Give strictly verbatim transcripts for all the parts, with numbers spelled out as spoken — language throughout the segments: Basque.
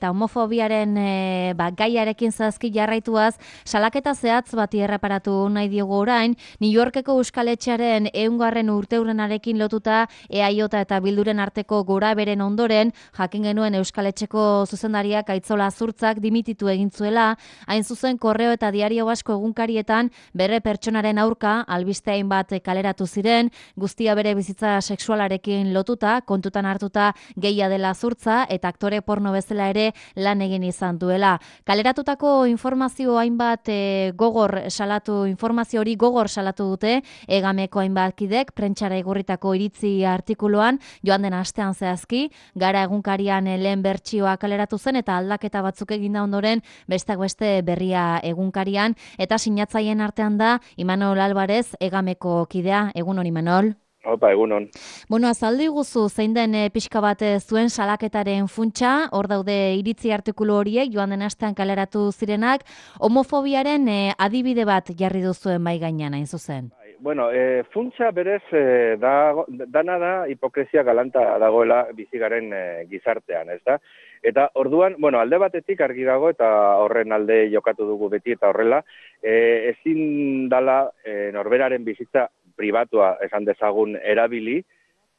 eta homofobiaren e, ba, gaiarekin zazki jarraituaz, salaketa zehatz bati erreparatu nahi diogu orain, New Yorkeko Euskaletxearen ehungarren urteurenarekin lotuta E A J eta Bilduren arteko gora beren ondoren, jakin genuen Euskaletxeko zuzendariak Aitzola Zurtzak dimititu egin zuela, hain zuzen Korreo eta Diario Basko egunkarietan bere pertsonaren aurka albiste hainbat kaleratu ziren, guztia bere bizitza sexualarekin lotuta, kontutan hartuta gehia dela Zurtza eta aktore porno bezala ere lan egin izan duela. Kaleratutako informazio hainbat e, gogor salatu, informazio hori gogor salatu dute, Egameko hainbat kidek, prentsara igurritako iritzi artikuluan, joan den astean zehazki, Gara egunkarian lehen bertsioa kaleratu zen eta aldaketa batzuk eginda ondoren besteak beste berria egunkarian, eta sinatzaien artean da Imanol Alvarez, Egameko kidea. Egun hon, Imanol. Opa, egunon. Bueno, azaldu iguzu zein den e, pixka bat zuen salaketaren funtsa, hor daude iritzi artikulu horiek, joan den astean kaleratu zirenak, homofobiaren e, adibide bat jarri duzuen bai gainean, hain zuzen. Bueno, e, funtsa berez e, da, dana da hipokresia galanta dagoela bizigaren e, gizartean, ez da? Eta orduan, bueno, alde batetik argi dago eta horren alde jokatu dugu beti eta horrela, e, ezin dala e, norberaren bizitza pribatua esan dezagun erabili,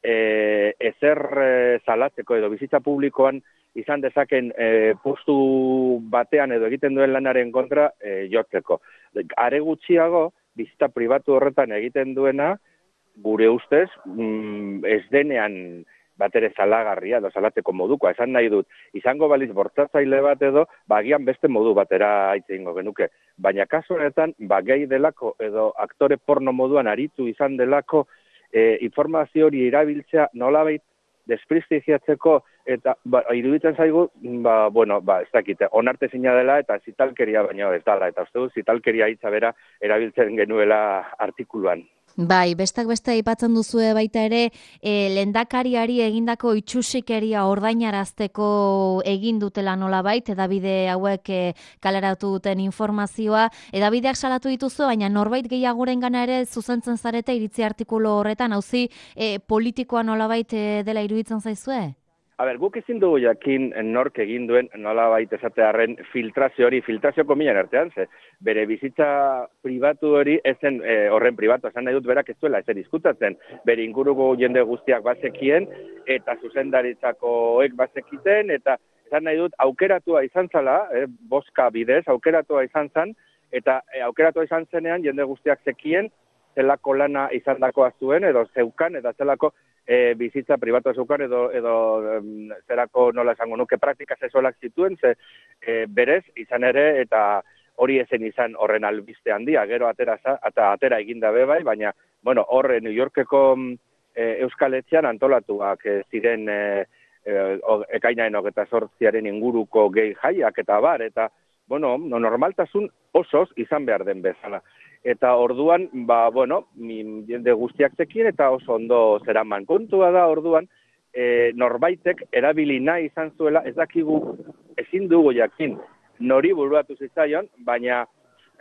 e, ezer e, salatzeko edo bizitza publikoan izan dezaken e, postu batean edo egiten duen lanaren kontra e, jotzeko. Are gutxiago, bizitza pribatu horretan egiten duena, gure ustez, mm, ez denean batere zalagarria edo salatzeko modukoa, esan nahi dut, izango baliz bortzatzaile bat edo, bagian beste modu batera hitz egingo genuke. Baina kasu honetan, ba gehi delako edo aktore porno moduan aritu izan delako e, informazio hori erabiltzea nolabait desprestigiatzeko eta ba, iruditzen zaigu, ba, bueno, ba, ez dakite, onartezina dela eta zitalkeria baino ez dela, eta uste dut zitalkeria hitza bera erabiltzen genuela artikuluan. Bai, bestak beste aipatzen duzue baita ere, e, lehendakariari egindako itxusikeria ordainarazteko egin dutela nolabait, edabide hauek e, kaleratu duten informazioa, edabideak salatu dituzu, baina norbait gehiagorengana ere zuzentzen zarete iritzi artikulu horretan, hauzi e, politikoa nolabait e, dela iruditzen zaizue? A ber, guk ezin dugu jakin nork egin duen nolabait esatearren filtrazio hori, filtrazio komilan artean, ze bere bizitza pribatu hori ezen e, horren pribatu, esan nahi dut berak ez duela ezer diskutatzen, bere inguruko jende guztiak bazekien, eta zuzendaritzakoek bazekiten, eta esan nahi dut aukeratua izan zala, e, boska bidez, aukeratua izan zan, eta e, aukeratua izan zenean jende guztiak zekien, zelako lana izan dakoa zuen, edo zeukan, eta zelako E, bizitza pribatua zeukan edo, edo em, zerako nola esango nuke praktika sexualak zituen, ze e, berez izan ere eta hori ezen izan horren albiste handia, gero atera, eta atera eginda be bai, baina bueno, horre New Yorkeko e, Euskaletxean antolatuak e, ziren e, e, ekainaren hogeita zortziaren inguruko gehi jaiak eta bar, eta bueno, no, normaltasun osoz izan behar den bezala. Eta orduan, ba, bueno, jende guztiak zekien eta oso ondo zeraman. Kontua da orduan, e, norbaitek erabili nahi izan zuela, ez dakigu ezin dugu jakin nori buruatu zitzaion, baina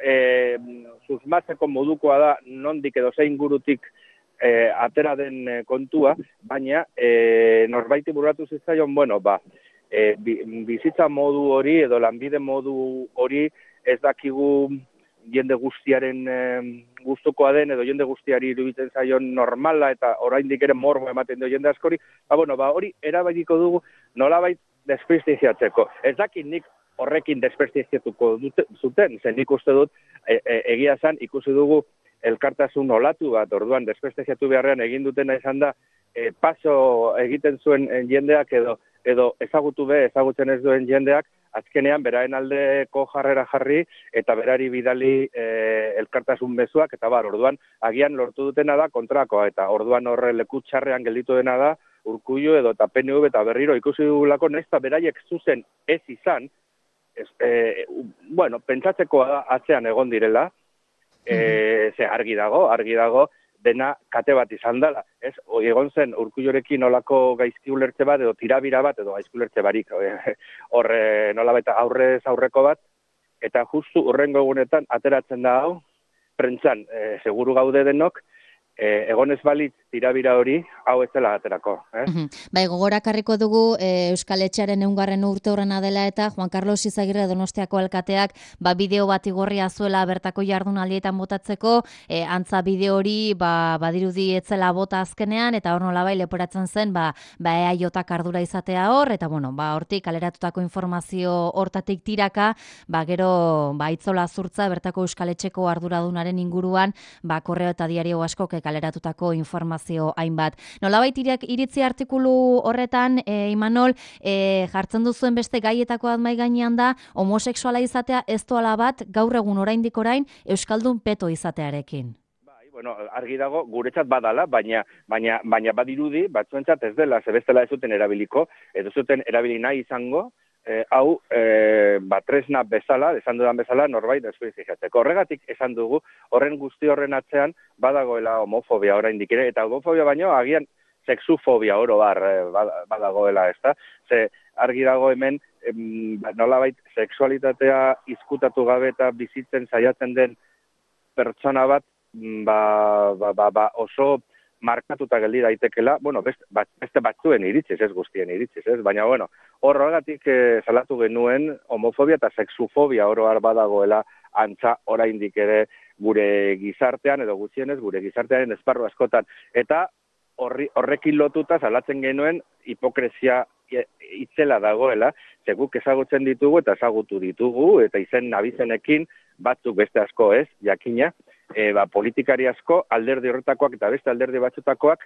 e, susmatzeko modukoa da nondik edo zein gurutik e, atera den e, kontua, baina e, norbaiti buruatu zitzaion, bueno, ba, e, bizitza modu hori edo lanbide modu hori ez dakigu jende guztiaren e, gustukoa den edo jende guztiari iruditzen zaion normala eta oraindik ere morbo ematen dio jende askori, ba, bueno, ba, hori erabakiko dugu nolabait desprestigiatzeko. Ez dakit nik horrekin desprestigiatuko zuten, zen nik uste dut e, e, egia zan ikusi dugu elkartasun olatu bat, orduan desprestigiatu beharrean egin dutena izan da e, paso egiten zuen jendeak edo, edo ezagutu be, ezagutzen ez duen jendeak, azkenean beraen aldeko jarrera jarri eta berari bidali e, elkartasun mezuak eta bar, orduan agian lortu dutena da kontrakoa eta orduan horre leku txarrean gelditu dena da Urkullu edo eta P N V eta berriro ikusi dugulako nahiz beraiek zuzen ez izan, ez, e, bueno, pentsatzeko atzean egon direla, e, ze argi dago, argi dago, dena kate bat izan dela. Ez, egon zen Urkullurekin nolako gaizki ulertze bat edo tirabira bat edo gaizki ulertze barik horre nolabait aurrez aurreko bat eta justu urrengo egunetan ateratzen da hau prentzan e, seguru gaude denok e, egon ez balitz tirabira hori, hau ez dela aterako. Eh? Bai, gogorakarriko dugu e, Euskal Etxearen eungarren urte horrena dela eta Juan Carlos Izagirre Donostiako alkateak ba, bideo bat igorria zuela bertako jardunaldietan botatzeko, e, antza bideo hori ba, badirudi etzela bota azkenean, eta hor nolabai leporatzen zen ba, ba E A J ardura izatea hor, eta bueno, ba, hortik kaleratutako informazio hortatik tiraka, ba, gero ba, itzola zurtza bertako Euskal Etxeko arduradunaren inguruan, ba, korreo eta diario askok kaleratutako informazio hainbat. Nolabait iritzi artikulu horretan, e, Imanol, e, jartzen duzuen beste gaietako bat mai gainean da, homosexuala izatea ez doala bat gaur egun oraindik orain euskaldun peto izatearekin. Bueno, argi dago, guretzat badala, baina, baina, baina badirudi, batzuentzat ez dela, zebestela ez zuten erabiliko, ez zuten erabili nahi izango, eh, hau, eh, batresna bezala, esan dudan bezala, norbait deskualifizatzeko. Horregatik esan dugu, horren guzti horren atzean, badagoela homofobia oraindik ere, eta homofobia baino, agian, sexufobia oro bar, eh, badagoela, ez da? Ze, argi dago hemen, em, nolabait, sexualitatea izkutatu gabe eta bizitzen saiatzen den pertsona bat, Ba, ba, ba, ba, oso markatuta geldi daitekela, bueno, beste, beste batzuen iritziz, ez guztien iritziz, ez? Baina, bueno, horregatik eh, salatu genuen homofobia eta sexufobia oro har badagoela antza oraindik ere gure gizartean, edo gutxienez gure gizartearen esparru askotan. Eta horri, horrekin lotuta salatzen genuen hipokresia itzela dagoela, ze guk ezagutzen ditugu eta ezagutu ditugu, eta izen nabizenekin batzuk beste asko ez, jakina, E, ba, politikari asko, alderdi horretakoak eta beste alderdi batzutakoak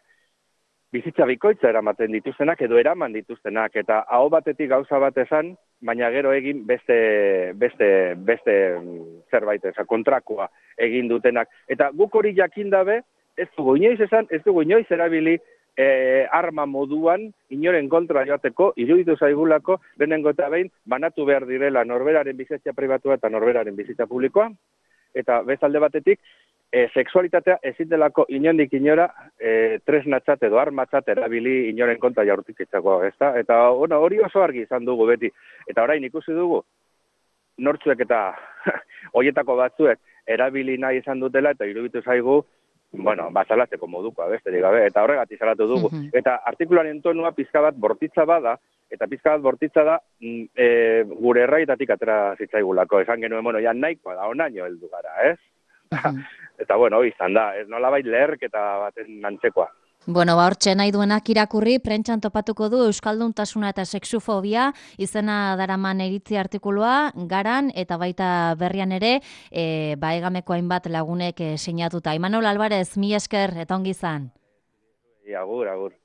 bizitza bikoitza eramaten dituztenak edo eraman dituztenak, eta aho batetik gauza bat esan, baina gero egin beste, beste, beste zerbait eza, kontrakoa egin dutenak. Eta guk hori jakin dabe, ez dugu inoiz esan, ez dugu inoiz erabili e, arma moduan, inoren kontra joateko, iruditu zaigulako, benengo eta behin, banatu behar direla norberaren bizitza pribatua eta norberaren bizitza publikoa, eta bezalde batetik, e, sexualitatea ezin delako inondik inora e, tresnatzat edo armatzat erabili inoren kontra jaurtikitzako, ezta? Eta bueno, hori oso argi izan dugu beti. Eta orain ikusi dugu, nortzuek eta hoietako batzuek erabili nahi izan dutela, eta iruditu zaigu, bueno, bazalatzeko modukoa, besterik gabe, eta horregatik salatu dugu. Mm-hmm. Eta artikuluaren tonua pizka bat bortitza bada, eta pizka bat bortitza da e, gure erraitatik atera zitzaigulako. Esan genuen, bueno, ja nahikoa da, onaino heldu gara, ez? Mm-hmm. Eta, bueno, izan da, ez nolabait leherketa baten antzekoa. Bueno, ba, hortxe nahi duenak irakurri, prentxan topatuko du Euskalduntasuna eta sexufobia, izena daraman iritzi artikulua, garan, eta baita berrian ere, e, ba, egameko hainbat lagunek e, sinatuta. Imanol Alvarez, mi esker, eta ongi izan. Agur, agur.